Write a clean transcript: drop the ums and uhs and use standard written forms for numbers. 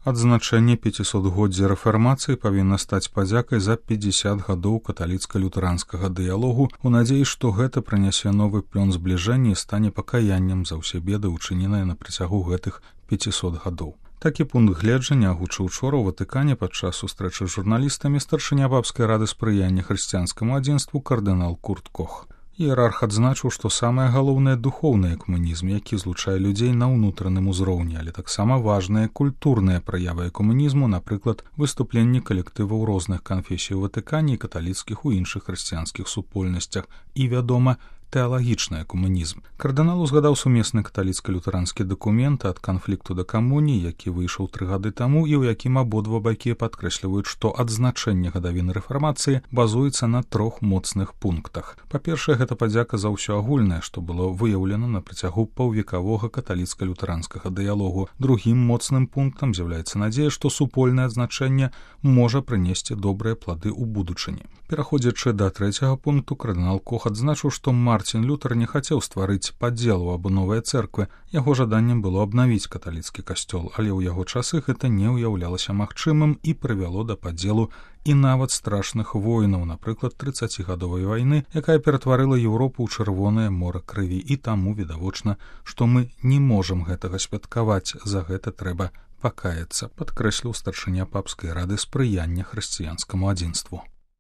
Адзначэнне 500годдзя рэфармацыі павінна стаць падзякай за 50 гадоў каталіцка-лютэранскага дыялогу у надзеі, што гэта прынясе новы плён збліжэння і стане пакаяннем за ўсе беды, учыненыя на працягу гэтых 500 гадоў. Такі пункт гледжання агучыў учора ў Ватыкане падчас сустрэчы з журналістамі старшыня папскай рады спрыяння хрысціянскаму адзінству кардынал Курт Кох. Іерарх адзначыў, што самае галоўнае духоўны экуменізм, які злучае людзей на ўнутраным узроўні, але таксама важныя культурныя праявы экуменізму, напрыклад, выступленні калектываў розных канфесій у Ватыкане і каталіцкіх у іншых хрысціянскіх супольнасцях і, вядома, тэалагічны экуменізм. Кардынал узгадаў сумесны каталіцка-лютеранскі дакумент ад канфлікту да камуніі, які выйшаў 3 гады таму і ў якім абодва бакі падкрэсліваюць, што адзначэнне гадавіны рэфармацыі базуецца на 3 моцных пунктах. Па-першае, гэта падзяка за ўсё агульнае, што было выяўлена на працягу паўвекавога каталіцка-лютэранскага дыялогу. Другім моцным пунктам з'яўляецца надзея, што супольнае адзначэнне можа прынесці добрыя плады ў будучыні. Пераходзячы да 3-го пункту, кардынал Кох адзначыў, што Марцін Лютэр не хацеў стварыць падзел у абновай цэрквы. Яго жаданнем было абнавіць каталіцкі касцёл, але ў яго часы гэта не ўяўлялася магчымым і прывяло да падзелу і нават страшных войнаў, напрыклад, 30гадовай вайны, якая ператварыла Еўропу ў чырвонае мора крыві. І таму відавочна, што мы не можам гэтага святкаваць, за гэта трэба пакаяцца, падкрэсліў старшыня папскай рады спрыяння хрысціянскаму адзінству.